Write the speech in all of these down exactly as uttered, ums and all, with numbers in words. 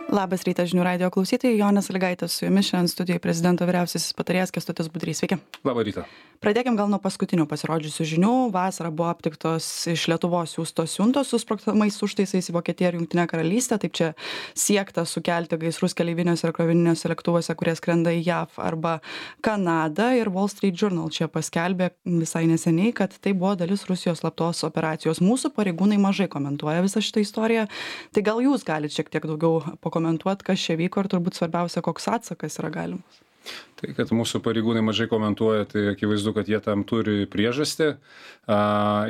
Labas rytas žinių radijo klausytojai, Jonė Sąlygaitė su jumis, šiandien studijoje prezidento vyriausiasis patarėjas Kęstutis Budrys. Sveiki. Labą rytą. Pradėkim gal nuo paskutinių pasirodžiusių žinių. Vasarą buvo aptiktos iš Lietuvos siųstos siuntos su sprogstamais užtaisais į Vokietiją ir Jungtinę karalystę. Taip čia siekta sukelti gaisrus keleiviniuose ir krovininiuose lėktuvuose, kurie skrenda į J A V arba Kanadą. Ir Wall Street Journal čia paskelbė visai neseniai, kad tai buvo dalis Rusijos slaptos operacijos. Mūsų pareigūnai mažai komentuoja visą šitą istoriją. Tai gal jūs galite šiek tiek daugiau pakomentuoti, kas čia vyko ir turbūt svarbiausia, koks atsakas yra galimas. Tai, kad mūsų pareigūnai mažai komentuoja, tai akivaizdu, kad jie tam turi priežastį a,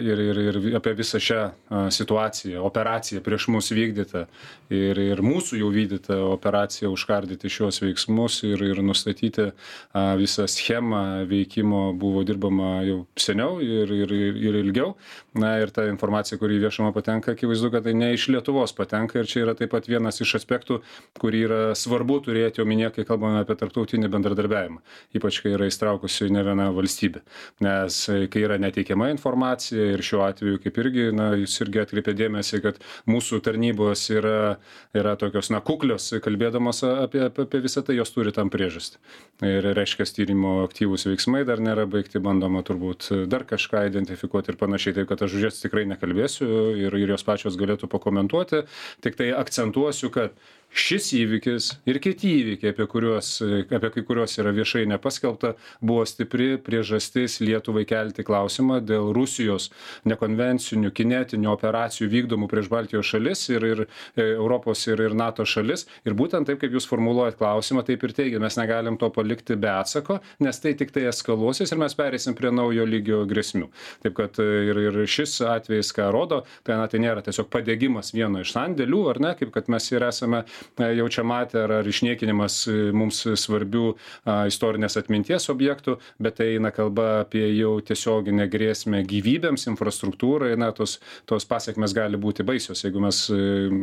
ir, ir, ir apie visą šią a, situaciją, operaciją prieš mus vykdytą ir, ir mūsų jau vykdytą operaciją užkardyti šios veiksmus ir, ir nustatyti a, visą schemą veikimo buvo dirbama jau seniau ir, ir, ir, ir ilgiau. Na ir ta informacija, kuri viešumą patenka, akivaizdu, kad tai ne iš Lietuvos patenka ir čia yra taip pat vienas iš aspektų, kurį yra svarbu turėti omenyje, kai kalbame apie tarptautinį bendradarbiavimą, ypač kai yra įstraukusi ne viena valstybė. Nes kai yra neteikiama informacija ir šiuo atveju kaip irgi, na, jūs irgi atkreipė dėmesį, kad mūsų tarnybos yra, yra tokios, na, kuklios, kalbėdamos apie, apie, apie visą tai, jos turi tam priežastį. Ir reiškia, tyrimo aktyvūs veiksmai dar nėra baigti, bandoma turbūt dar kažką identifikuoti ir panašiai, taip kad aš už jas tikrai nekalbėsiu ir, ir jos pačios galėtų pakomentuoti, tik tai akcentuosiu, kad šis įvykis ir kiti įvykiai, apie, kuriuos, apie kai kuriuos yra viešai nepaskelbta, buvo stipri priežastis Lietuvai kelti klausimą dėl Rusijos nekonvencinių kinetinių operacijų vykdomų prieš Baltijos šalis ir, ir Europos ir, ir NATO šalis. Ir būtent taip, kaip jūs formuluojat klausimą, taip ir teigia, mes negalim to palikti be atsako, nes tai tik tai eskaluosis ir mes pereisim prie naujo lygio grėsmių. Taip kad ir, ir šis atvejis, ką rodo, tai, na, tai nėra tiesiog padegimas vieno iš sandėlių, ar ne, kaip kad mes ir esame jau čia matę, ar, ar išniekinimas mums svarbių a, istorinės atminties objektų, bet tai eina kalba apie jau tiesioginę grėsmę gyvybėms, infrastruktūrai, na, tos, tos pasiekmes gali būti baisios, jeigu mes e,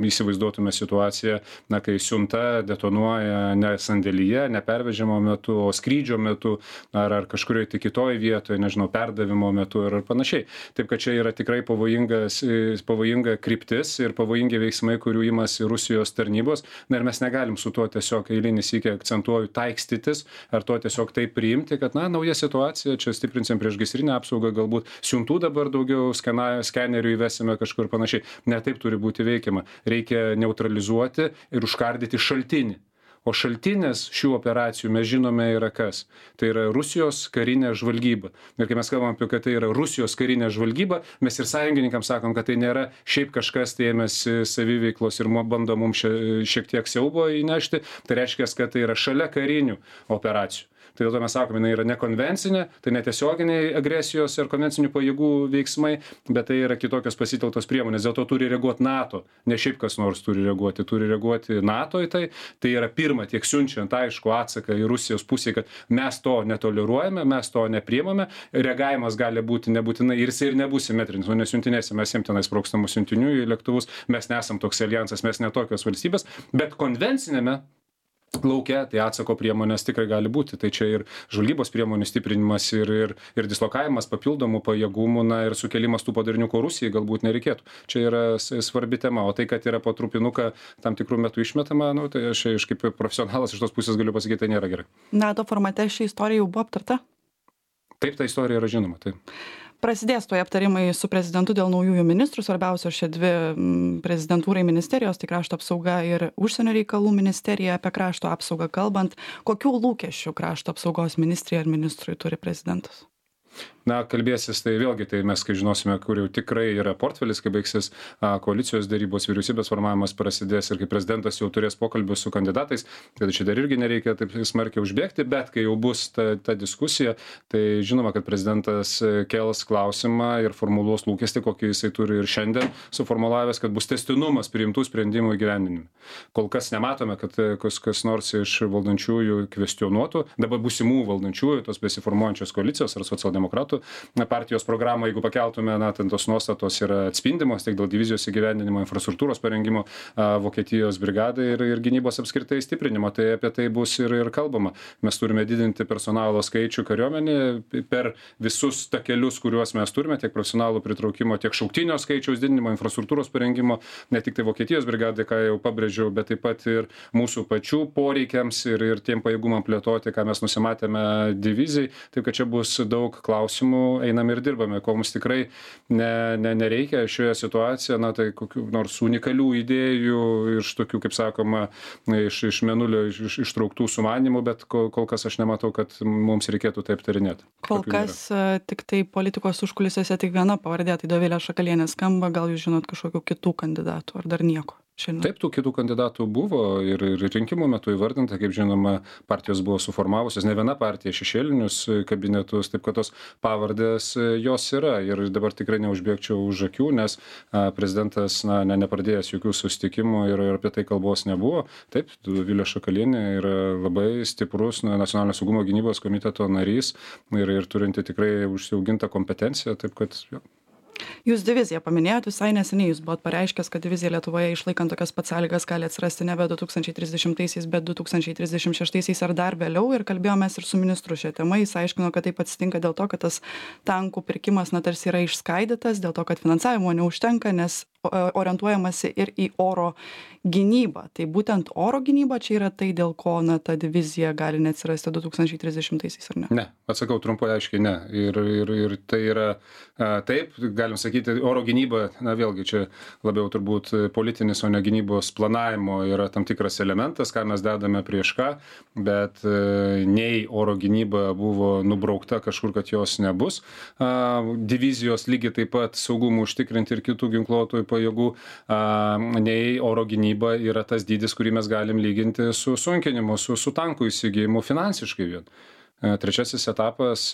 įsivaizduotume situaciją, na, kai siunta detonuoja ne sandėlyje, ne pervežimo metu, o skrydžio metu, ar, ar kažkurioje tik kitoje vietoje, nežinau, perdavimo metu ir panašiai. Taip, kad čia yra tikrai pavojingas, pavojinga kryptis ir pavojingi veiksmai, kurių imasi Rusijos tarnybos. Na ir mes negalim su tuo tiesiog eilinį sykį akcentuoju taikstytis, ar to tiesiog taip priimti, kad, na, nauja situacija, čia stiprinsim priešgaisrinę apsaugą, galbūt siuntų dabar daugiau skena, skenerių įvesime kažkur panašiai. Ne taip turi būti veikiama. Reikia neutralizuoti ir užkardyti šaltinį. O šaltinis šių operacijų mes žinome yra kas. Tai yra Rusijos karinė žvalgyba. Ir kai mes kalbam apie, kad tai yra Rusijos karinė žvalgyba, mes ir sąjungininkams sakom, kad tai nėra šiaip kažkas tai ėmėsi saviveiklos ir bando mums šiek tiek siaubo įnešti. Tai reiškia, kad tai yra šalia karinių operacijų. Tai dėl to mes sakome, jinai yra nekonvencinė, tai netiesioginiai agresijos ir konvencinių pajėgų veiksmai, bet tai yra kitokios pasitelktos priemonės. Dėl to turi reaguoti NATO, ne šiaip kas nors turi reaguoti, turi reaguoti NATO į tai. Tai yra pirma, tiek siunčiant aišku atsaką į Rusijos pusę, kad mes to netoleruojame, mes to nepriimame. Reagavimas gali būti nebūtinai ir jis ir nebus simetrinis, o nesiuntinėsim, mes jiem tenai sprogstamų siuntinių į lėktuvus, mes nesam toks alijansas, mes netokios valstybės, bet konvencinėme lauke, tai atsako priemonės tikrai gali būti. Tai čia ir žvalgybos priemonių stiprinimas ir, ir, ir dislokavimas papildomų pajėgumų, na ir sukelimas tų padarinių, ko Rusijai galbūt nereikėtų. Čia yra svarbi tema. O tai, kad yra po trupinuką tam tikrų metų išmetama, nu, tai aš, aš kaip profesionalas iš tos pusės galiu pasakyti, tai nėra gerai. NATO formate ši istorija jau buvo aptarta? Taip, ta istorija yra žinoma. Taip. Prasidės toje aptarimai su prezidentu dėl naujųjų ministrų, svarbiausios šie dvi prezidentūrai ministerijos, tai krašto apsauga ir užsienio reikalų ministerija. Apie krašto apsaugą kalbant, kokių lūkesčių krašto apsaugos ministrija ir ministrui turi prezidentas? Na, kalbėsis, tai vėlgi, tai mes, kai žinosime, kur jau tikrai yra portfelis, kai baigsis a, koalicijos darybos, vyriausybės formavimas prasidės ir kai prezidentas jau turės pokalbius su kandidatais, kad čia dar irgi nereikia taip smarkiai užbėgti, bet kai jau bus ta, ta diskusija, tai žinoma, kad prezidentas kels klausimą ir formuluos lūkestį, kokį jisai turi ir šiandien suformulavęs, kad bus tęstinumas priimtų sprendimų įgyvendinime. Kol kas nematome, kad kas, kas nors iš valdančiųjų kvestionuotų, dabar būsimų valdančiųjų, tos besiformuojančios koalicijos ar socialdemokratų metų. Na, partijos programą, jeigu pakeltume, na, ten tos nuostatos yra atspindimos tiek dėl divizijos įgyvendinimo, infrastruktūros parengimo a, Vokietijos brigadai ir, ir gynybos apskritai stiprinimo. Tai apie tai bus ir, ir kalbama. Mes turime didinti personalo skaičių kariuomenėje per visus takelius, kuriuos mes turime, tiek profesionalų pritraukimo, tiek šauktinio skaičiaus didinimo, infrastruktūros parengimo, ne tik tai Vokietijos brigadai, ką jau pabrėžiau, bet taip pat ir mūsų pačių poreikiams ir, ir tiem pajėgumam plėtoti, ką mes nusimatėme divizijai. Taip, kad čia bus daug klausimų, einame ir dirbame, ko mums tikrai ne, ne, nereikia šioje situacijoje, na tai kokių nors unikalių idėjų iš tokių, kaip sakoma, iš, iš menulio iš, iš, ištrauktų sumanimų, bet kol, kol kas aš nematau, kad mums reikėtų tai aptarinėti. Kol kas nėra. Tik tai politikos užkulisiuose tik viena pavardė, tai Dovilė Šakalienė skamba, gal jūs žinot kažkokių kitų kandidatų ar dar nieko? Šiandien. Taip, tų kitų kandidatų buvo ir, ir rinkimų metu įvardinta, kaip žinoma, partijos buvo suformavusios, ne viena partija šešėlinius kabinetus, taip kad tos pavardės jos yra ir dabar tikrai neužbėgčiau už akių, nes a, prezidentas na, ne, nepradėjęs jokių susitikimų ir, ir apie tai kalbos nebuvo. Taip, Dovilė Šakalienė yra labai stiprus na, nacionalinio saugumo gynybos komiteto narys ir, ir turinti tikrai užsiaugintą kompetenciją, taip kad jo. Jūs diviziją paminėjot, visai neseniai jūs buvot pareiškęs, kad divizija Lietuvoje išlaikant tokias pats sąlygas gali atsirasti nebe du tūkstančiai trisdešimtaisiais, bet du tūkstančiai trisdešimt šeštaisiais ar dar vėliau ir kalbėjomės ir su ministru šią temą, jis aiškino, kad taip atsitinka dėl to, kad tas tankų pirkimas na tarsi yra išskaidytas, dėl to, kad finansavimo neužtenka, nes orientuojamasi ir į oro gynybą. Tai būtent oro gynyba čia yra tai, dėl ko na, ta divizija gali neatsirasti du tūkstančiai trisdešimtaisiais, ar ne? Ne, atsakau trumpai aiškiai ne. Ir, ir, ir tai yra a, taip, galim sakyti, oro gynyba, na vėlgi čia labiau turbūt politinis, o ne gynybos planavimo yra tam tikras elementas, ką mes dedame prieš ką, bet a, nei oro gynyba buvo nubraukta kažkur, kad jos nebus. A, divizijos lygiai taip pat saugumų užtikrinti ir kitų ginkluotojų pajėgų, a, nei oro gynyba yra tas dydis, kurį mes galim lyginti su sunkinimu, su, su tankų įsigijimu finansiškai vien. Trečiasis etapas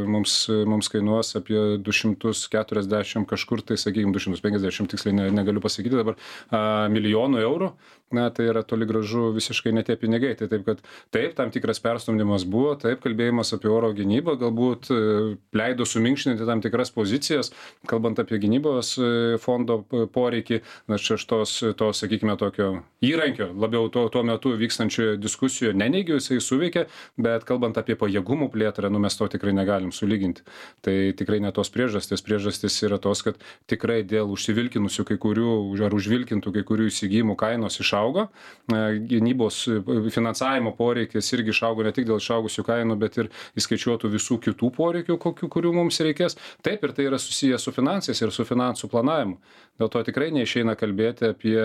mums, mums kainuos apie du šimtus keturiasdešimt kažkur, tai sakykime du šimtus penkiasdešimt, tiksliai ne, negaliu pasakyti dabar, a, milijonų eurų. Na, tai yra toli gražu visiškai ne tie pinigai. Tai taip, kad taip, tam tikras perstumdymas buvo, taip, kalbėjimas apie oro gynybą galbūt leido suminkštinti tam tikras pozicijas, kalbant apie gynybos fondo poreikį, na, čia aš tos, to, sakykime, tokio įrankio, labiau tuo, tuo metu vykstančioje diskusijoje neneigiu, jisai suveikė, bet kalbant apie pajėgumų plėtrą, nu, mes to tikrai negalim sulyginti. Tai tikrai ne tos priežastys. Priežastys yra tos, kad tikrai dėl užsivilkinusių kai kurių, ar užvilkintų kai kurių įsigijimų kainos išaugo. Išaugo, gynybos finansavimo poreikis irgi išaugo ne tik dėl išaugusių kainų, bet ir įskaičiuotų visų kitų poreikių, kokių, kurių mums reikės. Taip, ir tai yra susijęs su finansais ir su finansų planavimu. Dėl to tikrai neišeina kalbėti apie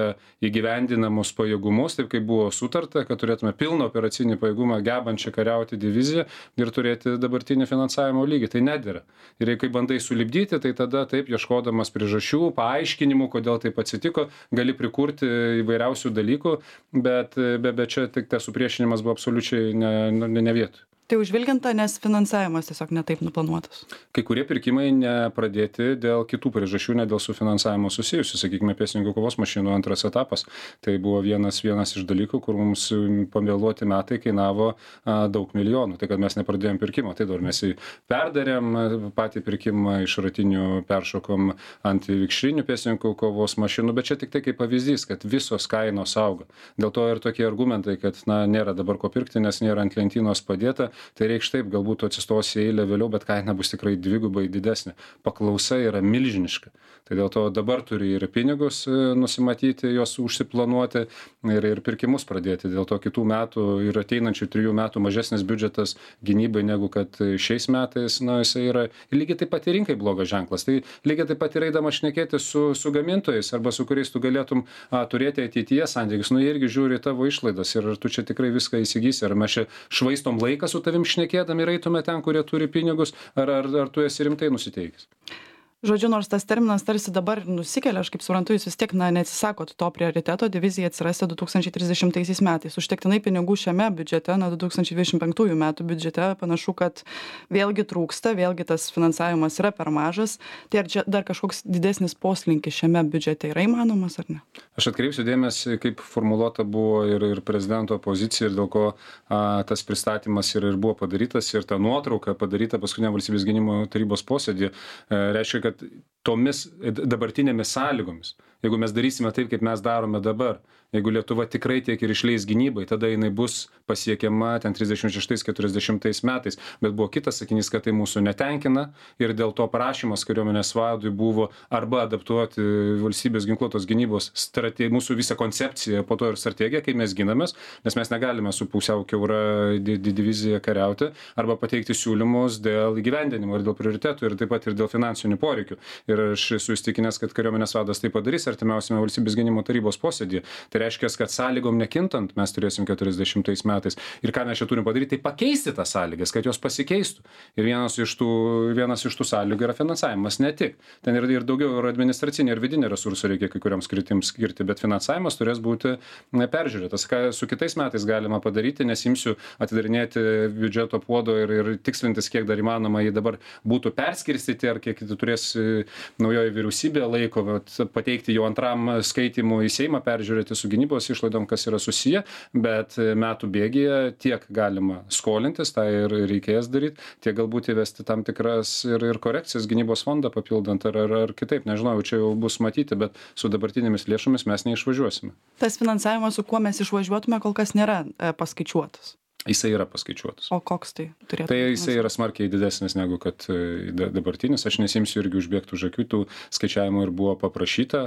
įgyvendinamus pajėgumus, taip kaip buvo sutarta, kad turėtume pilną operacinį pajėgumą gebančią kariauti diviziją ir turėti dabartinį finansavimo lygį. Tai nedėra. Ir kai bandai sulipdyti, tai tada taip, ieškodamas priežasčių, paaiškinimų, kodėl taip atsitiko, gali prikurti įvairiausių dalykų. dalykų, bet, bet, bet čia tik tas supriešinimas buvo absoliučiai ne, ne, ne vietoj. Tai užvilginta, nes finansavimas tiesiog netaip nuplanuotas. Kai kurie pirkimai nepradėti dėl kitų priežasčių, ne dėl su finansavimo susijusių, sakykime, pėstininkų kovos mašinų antras etapas. Tai buvo vienas, vienas iš dalykų, kur mums pavėluoti metai kainavo a, daug milijonų. Tai kad mes nepradėjom pirkimo, tai dar mes jį perdarėm patį pirkimą, iš ratinių peršokom ant vikšrinių pėstininkų kovos mašinų, bet čia tik tai kaip pavyzdys, kad visos kainos auga. Dėl to ir tokie argumentai, kad na, nėra dabar ko pirkti, nes nėra ant lentynos padėta. Tai reikš taip, galbūt atsistos į eilę vėliau, bet kaina bus tikrai dvigubai didesnė. Paklausa yra milžiniška. Tai dėl to dabar turi ir pinigus nusimatyti, juos užsiplanuoti ir, ir pirkimus pradėti. Dėl to kitų metų ir ateinančių trijų metų mažesnis biudžetas gynybai negu kad šiais metais, na, jisai yra lygiai taip pat ir rinkai blogas ženklas. Tai lygiai taip pat ir eidamas šnekėti su, su gamintojais arba su kuriais tu galėtum a, turėti ateityje santykius. Nu, jie irgi žiūri tavo išlaidas ir ar tu čia tikrai viską įsigysi, ar mes čia švaistom laiką su tavim šnekėdami ir eitume ten, kurie turi pinigus, ar, ar, ar tu esi rimtai nusiteikęs. Žodžiu, nors tas terminas tarsi dabar nusikelia, aš kaip suprantu, jūs vis tiek na, neatsisakot to prioriteto, divizija atsirasti du tūkstančiai trisdešimtaisiais metais. Užtektinai pinigų šiame biudžete, na, du tūkstančiai dvidešimt penktųjų metų biudžete, panašu, kad vėlgi trūksta, vėlgi tas finansavimas yra per mažas. Tai ar čia dar kažkoks didesnis poslinkis šiame biudžete yra įmanomas ar ne? Aš atkreipsiu dėmesį, kaip formuluota buvo ir, ir prezidento pozicija ir dėl ko a, tas pristatymas ir, ir buvo padarytas ir ta nuotrauka padaryta paskutinė valstybės gynimo tarybos posėdį, e, reiškia, kad tomis dabartinėmis sąlygomis, jeigu mes darysime taip, kaip mes darome dabar, jeigu Lietuva tikrai tiek ir išleis gynybai, tada jinai bus pasiekiama ten trisdešimt šeštais keturiasdešimtais metais. Bet buvo kitas sakinys, kad tai mūsų netenkina ir dėl to prašymas kariuomenės vadui buvo arba adaptuoti valstybės ginkluotos gynybos strategiją, mūsų visą koncepciją, po to ir strategiją, kaip mes ginamės, nes mes negalime su pusiau kiaura divizija kariauti, arba pateikti siūlymus dėl įgyvendinimo ir dėl prioritetų ir taip pat ir dėl finansinių poreikių. Ir aš esu įstikinęs, kad kariuomenės vadas tai padarys artimiausiame valstybės gynimo tarybos posėdyje. Tai reiškia, kad sąlygom nekintant mes turėsim keturiasdešimtais metais. Ir ką mes čia turim padaryti, tai pakeisti tas sąlygas, kad jos pasikeistų. Ir vienas iš tų, vienas iš tų sąlygų yra finansavimas, ne tik. Ten ir, ir daugiau ir administracinė ir vidinė resursų reikia kai kurioms skritims skirti, bet finansavimas turės būti peržiūrėtas. Ką su kitais metais galima padaryti, nesimsiu atidarinėti biudžeto puodo ir, ir tikslintis, kiek dar įmanoma jį dabar būtų perskirstyti, ar kiek turės naujoji vyriausybė laiko, pateikti jau antram skaitimui į Seimą, peržiūrėti su gynybos išlaidom, kas yra susiję, bet metų bėgyje tiek galima skolintis, tą ir reikės daryti, tiek galbūt įvesti tam tikras ir, ir korekcijas gynybos fondą papildant ar, ar, ar kitaip, nežinau, čia jau bus matyti, bet su dabartinėmis lėšomis mes neišvažiuosime. Tas finansavimas, su kuo mes išvažiuotume, kol kas nėra e, paskaičiuotas. Jisai yra paskaičiuotas. O koks tai turėtų? Tai jisai yra smarkiai didesnis negu kad dabartinis. Aš nesimsiu irgi užbėgti už akių, tų skaičiavimų ir buvo paprašyta,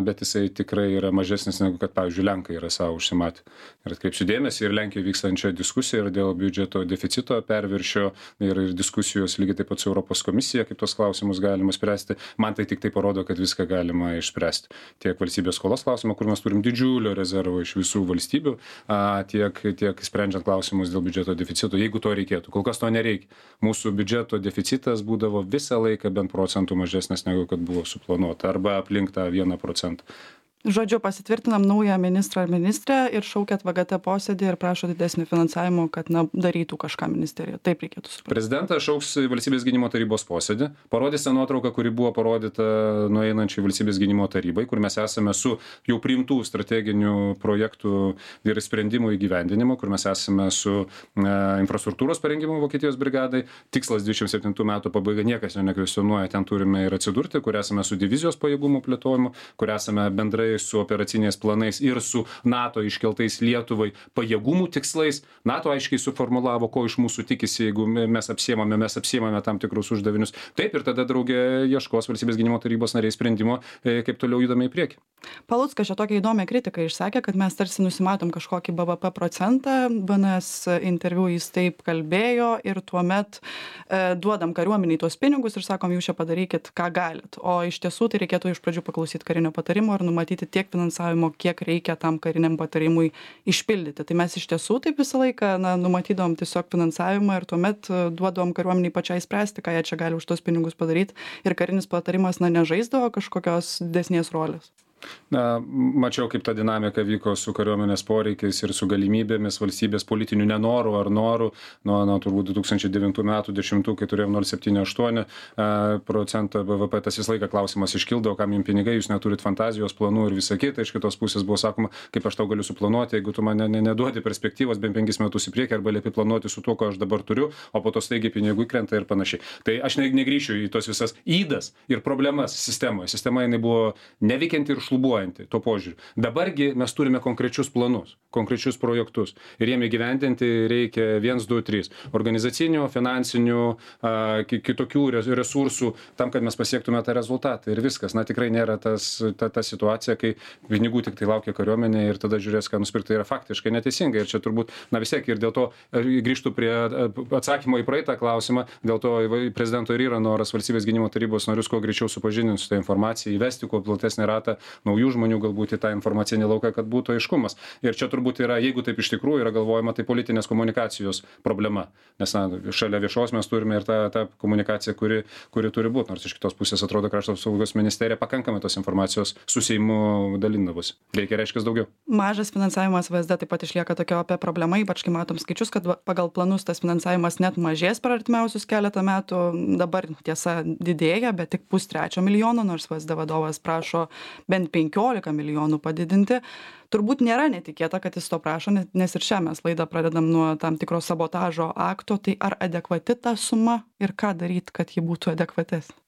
bet jisai tikrai yra mažesnis negu kad, pavyzdžiui, Lenkai yra savo užsimatę. Ir atkreipsiu dėmesį ir Lenkijoje vykstančią diskusiją ir dėl biudžeto deficito perviršio ir, ir diskusijos lygiai taip pat su Europos komisija, kaip tos klausimus galima spręsti. Man tai tik tai parodo, kad viską galima išspręsti. Tiek valstybės skolos klausimą, kur mes turim didžiulio rezervo iš visų valstybių, tiek, tiek sprendžiant klausimus dėl biudžeto deficito, jeigu to reikėtų. Kol kas to nereikia. Mūsų biudžeto deficitas būdavo visą laiką bent procentų mažesnis negu kad buvo suplanuota, arba aplink tą vieną procentą. Žodžiu, pasitvirtinam naują ministrą ar ministrę ir šaukiat V G T posėdį ir prašo didesnį finansavimo, kad na, darytų kažką ministerija. Taip reikėtų suprasti. Prezidentas šauks valstybės gynimo tarybos posėdį, parodys tą nuotrauką, kuri buvo parodyta nueinančiai valstybės gynimo tarybai, kur mes esame su jau priimtų strateginių projektų ir sprendimų įgyvendinimu, kur mes esame su e, infrastruktūros parengimu Vokietijos brigadai. Tikslas dvidešimt septintų metų pabaiga, niekas jo nekvestionuoja, ten turime ir atsidurti, kur esame su divizijos pajėgumų plėtojimu, kur esame bendrai su operaciniais planais ir su NATO iškeltais Lietuvai pajėgumų tikslais. NATO aiškiai suformulavo, ko iš mūsų tikisi, jeigu mes apsiemame, mes apsiemame tam tikrus uždavinius. Taip, ir tada draugė ieškos valstybės gynimo tarybos nariai sprendimo, kaip toliau judame į priekį. Paluckas čia tokią įdomią kritiką išsakė, kad mes tarsi nusimatom kažkokį B V P procentą. B N S interviu jis taip kalbėjo ir tuomet e, duodam kariuomeniai tuos pinigus ir sakom, jūs čia padarykit, ką galit. O iš tiesų tai reikėtų iš pradžių paklausyti karinio patarimo ir numatyti tiek finansavimo, kiek reikia tam kariniam patarimui išpildyti. Tai mes iš tiesų taip visą laiką na, numatydom tiesiog finansavimą ir tuomet duodom kariuomeniai pačiai spręsti, ką jie čia gali už tos pinigus padaryti. Ir karinis patarimas na, nežaisdavo kažkokios didesnės rolės. Na, mačiau, kaip ta dinamika vyko su kariuomenės poreikiais ir su galimybėmis valstybės politinių nenorų ar norų. Nuo, nuo turbūt du tūkstančiai devintų metų, dešimtų, kai turėjom nol kablelis septyni aštuoni procento B V P, tas visą laiką klausimas iškildavo, kam jums pinigai, jūs neturit fantazijos, planų ir visa kita. Iš kitos pusės buvo sakoma, kaip aš tau galiu suplanuoti, jeigu tu man ne, ne, neduodi perspektyvos bent penkis metus į priekį arba liepi planuoti su tuo, ko aš dabar turiu, o po to staigiai pinigų įkrenta ir panašiai. Tai aš ne, negryšiu į tos visas įdas ir problemas sistemoje. Sistema jinai buvo neveikianti ir šlubuojanti tuo požiūriu. Dabargi mes turime konkrečius planus, konkrečius projektus ir jiem įgyvendinti reikia vienas, du, trys organizacinių, finansinių, a, kitokių resursų tam, kad mes pasiektume tą rezultatą ir viskas. Na tikrai nėra tas, ta, ta situacija, kai pinigų tik tai laukia kariuomenė ir tada žiūrės, ką nusipirkti. Tai yra faktiškai neteisinga ir čia turbūt, na vis tiek ir dėl to grįžtų prie atsakymo į praeitą klausimą, dėl to prezidento ir yra noras valstybės gynimo tarybos narius kuo greičiau supažindinti su tą informaciją, įvesti kuo platesnį ratą naujų žmonių galbūt į tą informacinį lauką, kad būtų aiškumas. Ir čia turbūt yra, jeigu taip iš tikrųjų yra galvojama, tai politinės komunikacijos problema. Nes na, šalia viešos mes turime ir tą, tą komunikaciją, kuri, kuri turi būti. Nors iš kitos pusės atrodo, krašto apsaugos ministerija pakankamai tos informacijos su Seimu dalindavosi. Reikia reiškia daugiau. Mažas finansavimas V S D taip pat išlieka tokia opia problema, ypač kai matom skaičius, kad pagal planus tas finansavimas net mažės per artimiausius keletą metų. Dabar tiesa didėja, bet tik pustrečio milijono, nors V S D vadovas prašo bent penkiolika milijonų padidinti. Turbūt nėra netikėta, kad jis to prašo, nes ir šią mes laidą pradedam nuo tam tikro sabotažo akto. Tai ar adekvati ta suma ir ką daryti, kad ji būtų adekvatesnė?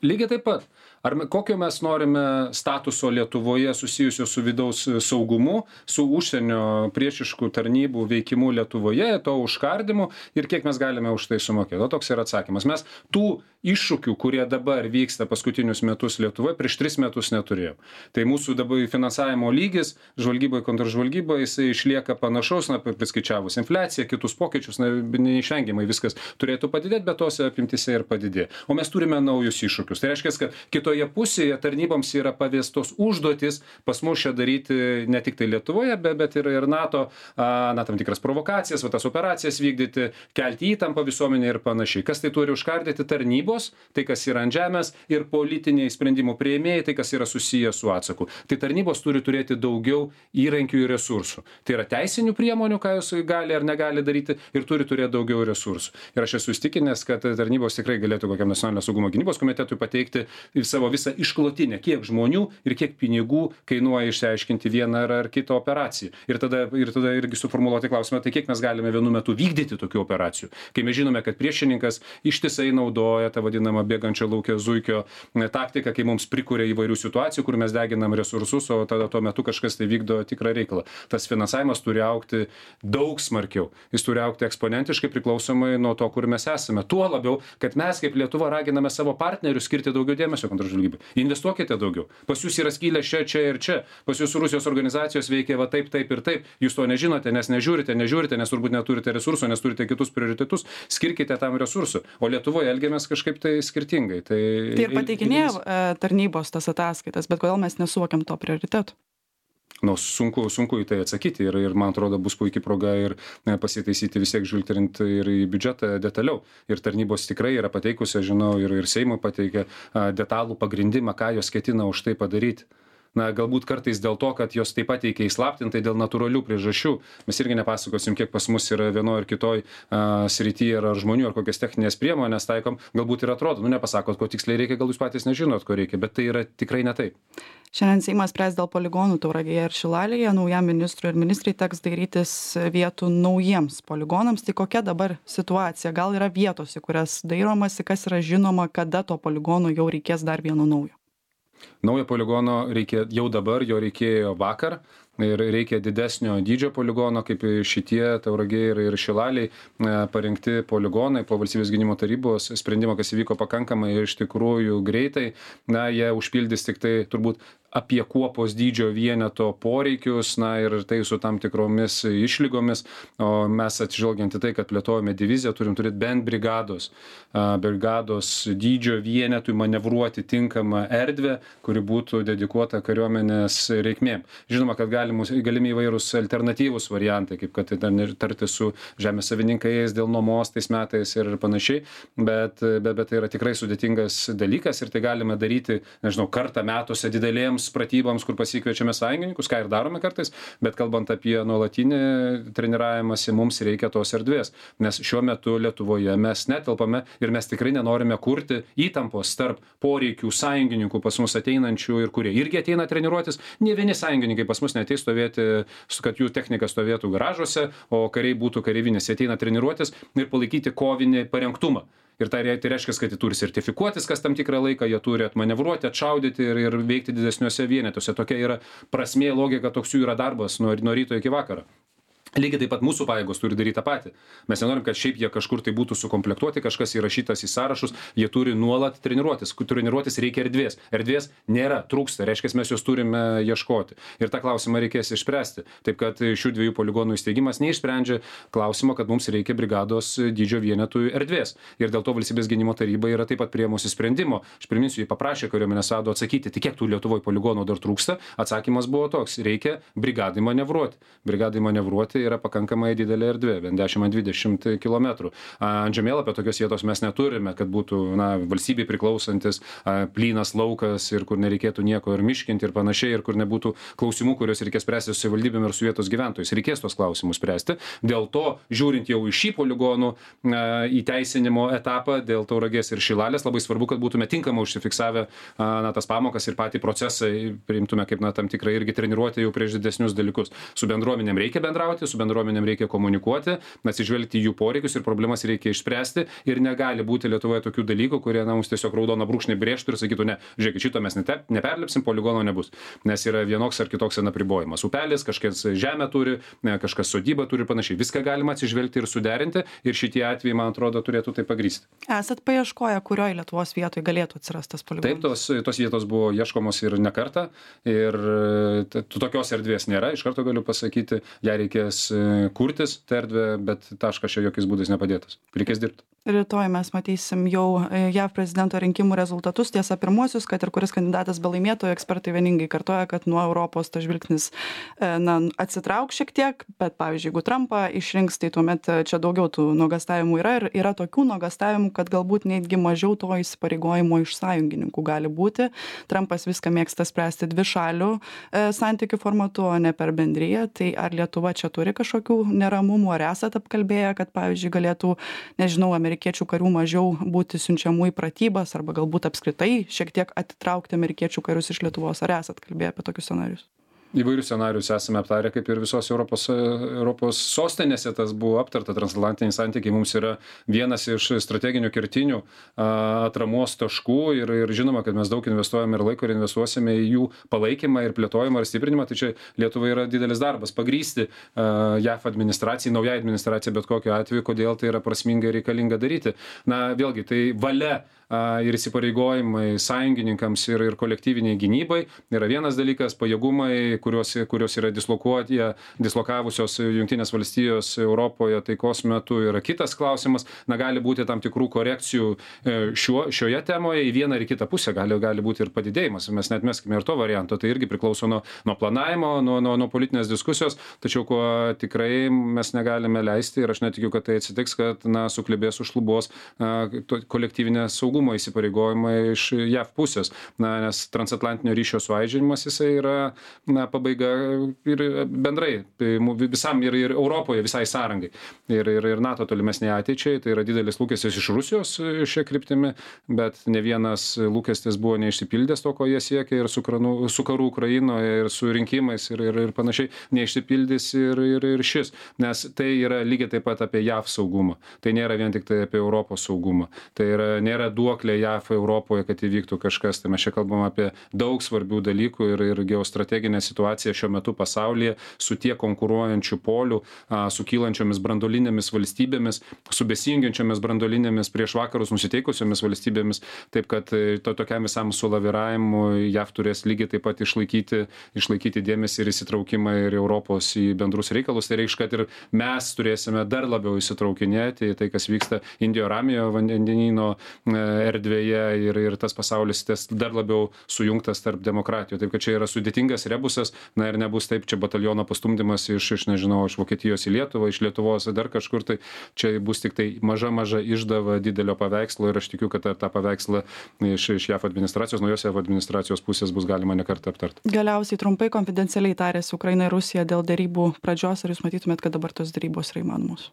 Lygiai taip pat. Ar kokio mes norime statuso Lietuvoje susijusio su vidaus saugumu, su užsienio priešiškų tarnybų veikimu Lietuvoje, to užkardimu ir kiek mes galime už tai sumokėti? O toks yra atsakymas. Mes tų iššūkių, kurie dabar vyksta paskutinius metus Lietuvoje, prieš tris metus neturėjom. Tai mūsų dabar finansavimo lygis, žvalgyboje, kontržvalgyboje, jisai išlieka panašaus, na, priskaičiavus infliaciją, kitus pokyčius, na, neišvengiamai viskas turėtų padidėti, bet tose apimtise ir padidėjo. O mes turime naujus iššūkius. Tai reiškia, kad kitoje pusėje tarnyboms yra pavestos užduotis pas mus čia daryti ne tik tai Lietuvoje, bet, bet ir, ir NATO, a, na, tam tikras provokacijas, va, tas operacijas vykdyti, kelti įtampą visuomenė ir panašiai. Kas tai turi užkardyti? Tarnybos, tai kas yra ant žemės, ir politiniai sprendimų priėmėjai, tai kas yra susiję su atsaku. Tai tarnybos turi turėti daugiau įrankių ir resursų. Tai yra teisinių priemonių, ką jūs gali ar negali daryti, ir turi turėti daugiau resursų. Ir aš esu įstikinęs, kad tarnybos tikrai galėtų kokiam nacionalinio saugumo gynybos komitetui pateikti savo visą išklotinę, kiek žmonių ir kiek pinigų kainuoja išsiaiškinti vieną ar, ar kitą operaciją. Ir tada, ir tada irgi suformuluoti klausimą, tai kiek mes galime vienu metu vykdyti tokių operacijų. Kai mes žinome, kad priešininkas ištisai naudoja tą vadinamą bėgančio laukia zuikio taktiką, kai mums prikuria įvairių situacijų, kur mes deginam resursus, o tada tuo metu kažkas tai vykdo tikrą reikalą. Tas finansavimas turi augti daug smarkiau. Jis turi augti eksponentiškai priklausomai nuo to, kur mes esame. Tuo labiau, kad mes kaip Lietuva raginame savo partnerius skirti daugiau dėmesio kontržvalgybai. Investuokite daugiau. Pas jūs yra skylė čia, čia ir čia. Pas jūs Rusijos organizacijos veikia va taip, taip ir taip. Jūs to nežinote, nes nežiūrite, nežiūrite, nes turbūt neturite resursų, nes turite kitus prioritetus. Skirkite tam resursų. O Lietuvoje elgiamės kažkaip tai skirtingai. Tai, tai ir pateikinėjo tarnybos tas ataskaitas, bet kodėl mes nesuvokiam to prioritetų? Nu, sunku, sunku į tai atsakyti ir, ir man atrodo bus puikia proga ir pasitaisyti vis tiek žvilgterint ir į biudžetą detaliau. Ir tarnybos tikrai yra pateikusi, žinau, ir, ir Seimui pateikė detalų pagrindimą, ką jos ketina už tai padaryti. Na, galbūt kartais dėl to, kad jos taip pat teikia įslaptintai dėl natūralių priežasčių. Mes irgi nepasakosim, kiek pas mus yra vienoje ar kitoj uh, srityje ar žmonių, ar kokias techninės priemonės taikom. Galbūt ir atrodo, nu nepasakot, ko tiksliai reikia, gal jūs patys nežinot, ko reikia, bet tai yra tikrai ne taip. Šiandien Seimas spręs dėl poligonų Tauragėje ir Šilalėje. Naujam ministrui ir ministrai teks dairytis vietų naujiems poligonams. Tai kokia dabar situacija? Gal yra vietos, į kurias dairomasi, kas yra žinoma, kada to poligono jau reikės dar vieno naujo? Naujo poligono reikia jau dabar, jo reikėjo vakar. Ir reikia didesnio dydžio poligono, kaip šitie Tauragė ir, ir Šilaliai parinkti poligonai po valstybės gynimo tarybos sprendimo, kas įvyko pakankamai iš tikrųjų greitai. Na, jie užpildys tik tai turbūt apie kuopos dydžio vieneto poreikius, na ir tai su tam tikromis išlygomis. O mes atsižvelgiant į tai, kad plėtojame diviziją, turim turėti bent brigados, brigados dydžio vienetui manevruoti tinkamą erdvę, kuri būtų dedikuota kariuomenės reikmėm. Žinoma, kad galimus, galimi įvairūs alternatyvūs variantai, kaip kad tarti su žemės savininkais dėl nuomos tais metais ir panašiai, bet, bet, bet tai yra tikrai sudėtingas dalykas ir tai galime daryti, nežinau, kartą metuose didelėms pratyboms, kur pasikviečiame sąjungininkus, ką ir darome kartais, bet kalbant apie nuolatinį treniravimąsi, mums reikia tos erdvės, nes šiuo metu Lietuvoje mes netelpame ir mes tikrai nenorime kurti įtampos tarp poreikių sąjungininkų pas mus ateinančių ir kurie irgi ateina treniruotis. Ne vieni sąjungininkai pas mus neateis stovėti, kad jų technika stovėtų garažuose, o kariai būtų kareivinės, jie ateina treniruotis ir palaikyti kovinį parengtumą. Ir tai reiškia, kad jie turi sertifikuotis kas tam tikrą laiką, jie turi atmanevruoti, atšaudyti ir, ir veikti didesniuose vienetuose. Tokia yra prasmė, logika, toks jų yra darbas nuo, nuo ryto iki vakaro. Lygiai taip pat mūsų pajėgos turi daryti tą patį. Mes nenorim, kad šiaip jie kažkur tai būtų sukomplektuoti, kažkas įrašytas į sąrašus, jie turi nuolat treniruotis. Treniruotis reikia erdvės. Erdvės nėra, trūksta, reiškia, mes jos turime ieškoti. Ir tą klausimą reikės išspręsti. Taip kad šių dviejų poligonų įsteigimas neišsprendžia klausimo, kad mums reikia brigados dydžio vienetų erdvės. Ir dėl to Valstybės gynimo taryba yra taip pat priėmusi sprendimo. Aš priminsiu, jį paprašė kariuomenės vado atsakyti, tai kiek tų Lietuvoje poligonų dar trūksta. Atsakymas buvo toks: reikia brigadai manevruoti. Brigadai manevruoti yra pakankamai didelė erdvė, bent dešimt ant dvidešimt kilometrų. Ant žemėlapio tokios vietos mes neturime, kad būtų, na, valstybei priklausantis a, plynas laukas ir kur nereikėtų nieko ir miškinti ir panašiai, ir kur nebūtų klausimų, kuriuos reikės spręsti su savivaldybėm ir su vietos gyventojais. Reikės tos klausimus spręsti. Dėl to, žiūrint jau į šį poligonų a, įteisinimo etapą, dėl Tauragės ir Šilalės, labai svarbu, kad būtume tinkamai užsifiksavę a, na, tas pamokas ir patį procesą priimtume kaip, na, tam tikrą irgi treniruoti jau prieš didesnius dalykus. Su bendruomenėm reikia bendrauti, su bendruomenėm reikia komunikuoti, atsižvelgti jų poreikius ir problemas reikia išspręsti ir negali būti Lietuvoje tokių dalykų, kurie, na, mums tiesiog raudoną brūkšnį brėžtų ir sakytų, ne, žiūrėkit, šito mes neperlipsim, poligono nebus, nes yra vienoks ar kitoks apribojimas. Upelis, kažkas žemę turi, kažkas sodybą turi, panašiai. Viską galima atsižvelgti ir suderinti ir šitie atvejai, man atrodo, turėtų tai pagrįsti. Esat paieškoję, kurioje Lietuvos vietoje galėtų atsirasti tas poligonas? Taip, tos, tos vietos buvo ieškomos ir ne kartą ir tokios erdvės nėra, iš karto galiu pasakyti, ją reikės kurtis tą erdvę, bet taškas čia jokiais būdais nepadėtas. Reikės dirbti. Rytoj mes matysim jau J A V prezidento rinkimų rezultatus, tiesa pirmuosius, kad ir kuris kandidatas belaimėtų, ekspertai vieningai kartoja, kad nuo Europos tas žvilgsnis na, atsitrauk šiek tiek, bet pavyzdžiui, jeigu Trumpą išrinks, tai tuomet čia daugiau tų nuogastavimų yra ir yra tokių nuogastavimų, kad galbūt netgi mažiau to įsipareigojimo iš sąjungininkų gali būti. Trumpas viską mėgsta spręsti dvi šalių e, santykių formatu, o ne per bendriją. Tai ar Lietuva čia turi kažkokių neramumų, ar esat apkalbėję, kad pavyzdžiui galėtų, nežinau, amerikiečių karių mažiau būti siunčiamų į pratybas arba galbūt apskritai šiek tiek atitraukti amerikiečių karius iš Lietuvos. Ar esat kalbėję apie tokius scenarius? Įvairius scenarius esame aptarę, kaip ir visos Europos, Europos sostinėse tas buvo aptarta. Transatlantiniai santykiai mums yra vienas iš strateginių kertinių atramos taškų ir, ir žinoma, kad mes daug investuojame ir laiko ir investuosime į jų palaikymą ir plėtojimą ir stiprinimą. Tai čia Lietuvai yra didelis darbas pagrysti J A V administracijai, naujai administracijai bet kokiu atveju, kodėl tai yra prasminga ir reikalinga daryti. Na, vėlgi, tai valia ir įsipareigojimai sąjungininkams ir, ir kolektyviniai gynybai yra vienas dalykas, pajėgumai, kurios, kurios yra dislokuoti, dislokavusios Jungtinės valstijos Europoje taikos metu yra kitas klausimas. Na, gali būti tam tikrų korekcijų šiuo, šioje temoje į vieną ar į kitą pusę, gali, gali būti ir padidėjimas. Mes net meskime ir to varianto, tai irgi priklauso nuo, nuo planavimo, nuo, nuo, nuo politinės diskusijos, tačiau ko tikrai mes negalime leisti ir aš netikiu, kad tai atsitiks, kad, na, suklibės užšlubuos kolektyvinė saugumo įsipareigojimai iš J A V pusės, na, nes transatlantinio ryšio suaižinimas jisai yra, na, pabaiga ir bendrai visam ir, ir Europoje, visai sąrangai ir, ir, ir NATO tolimesniai ateičiai. Tai yra didelis lūkestis iš Rusijos šia kryptimi, bet ne vienas lūkestis buvo neišsipildęs to, ko jie siekia ir su, kranu, su karu Ukrainoje ir su rinkimais ir, ir, ir panašiai neišsipildys ir, ir, ir šis, nes tai yra lygiai taip pat apie J A V saugumą. Tai nėra vien tik tai apie Europos saugumą. Tai yra, nėra duoklė J A V Europoje, kad įvyktų kažkas. Tai mes čia kalbam apie daug svarbių dalykų ir, ir geostrateginę situaciją šiuo metu pasaulyje su tiek konkuruojančių polių, su kylančiomis branduolinėmis valstybėmis, su besijungiančiomis branduolinėmis prieš vakarus nusiteikusiomis valstybėmis. Taip kad to tokiam visam sulaviravimui J A V turės lygiai taip pat išlaikyti, išlaikyti dėmesį ir įsitraukimą ir Europos į bendrus reikalus. Tai reikš, kad ir mes turėsime dar labiau įsitraukinėti į tai, kas vyksta Indijo Ramiojo vandenyno erdvėje ir, ir tas pasaulis tas dar labiau sujungtas tarp demokratijų. Taip, kad čia yra sudėtingas rebusas, na ir nebus taip, čia bataliono pastumdymas iš, iš nežinau, iš Vokietijos į Lietuvą, iš Lietuvos dar kažkur, tai čia bus tik tai maža, maža išdava didelio paveikslo ir aš tikiu, kad tą paveikslą iš, iš J A V administracijos, naujos J A V administracijos pusės bus galima nekartą aptarti. Galiausiai trumpai konfidencialiai tarėsi Ukraina ir Rusija dėl derybų pradžios, ar jūs matytumėt, kad dabar tos derybos yra įmanomos?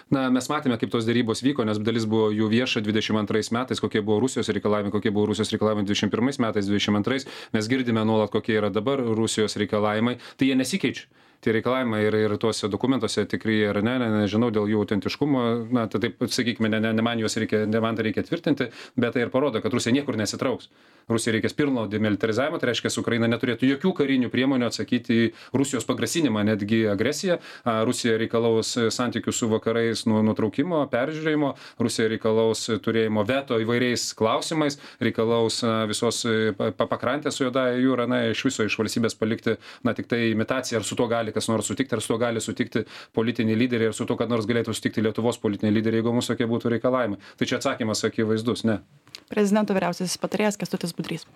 Na, mes matėme, kaip tos derybos vyko, nes dalis buvo jų vieša dvidešimt antrais metais, kokie buvo Rusijos reikalavimai, kokie buvo Rusijos reikalavimai dvidešimt pirmais metais, dvidešimt antrais. Mes girdime nuolat, kokie yra dabar Rusijos reikalavimai. Tai jie nesikeičia. tie reikalavimai ir, ir tuose dokumentuose tikrai ar ne, ne, nežinau dėl jų autentiškumo, na, tai taip, sakykime, ne, ne, ne man juos reikia, ne man tai reikia tvirtinti, bet tai ir parodo, kad Rusija niekur nesitrauks. Rusija reikės pilno demilitarizavimo, tai reiškia, Ukraina neturėtų jokių karinių priemonių atsakyti į Rusijos pagrasinimą, netgi agresiją. Rusija reikalaus santykių su vakarais nuo nutraukimo, peržiūrėjimo, Rusija reikalaus turėjimo veto įvairiais klausimais, reikalaus visos pakrantės su Juodąja jūra, na, iš viso iš valstybės palikti, na, tik tai imitaciją, ar su to gali kas nors sutikti, ar su to gali sutikti politiniai lyderiai, ar su to, kad nors galėtų sutikti Lietuvos politiniai lyderiai, jeigu mūsų tokie būtų reikalavimai. Tai čia atsakymas akivaizdus, ne. Prezidento vyriausiasis patarėjas Kęstutis Budrys.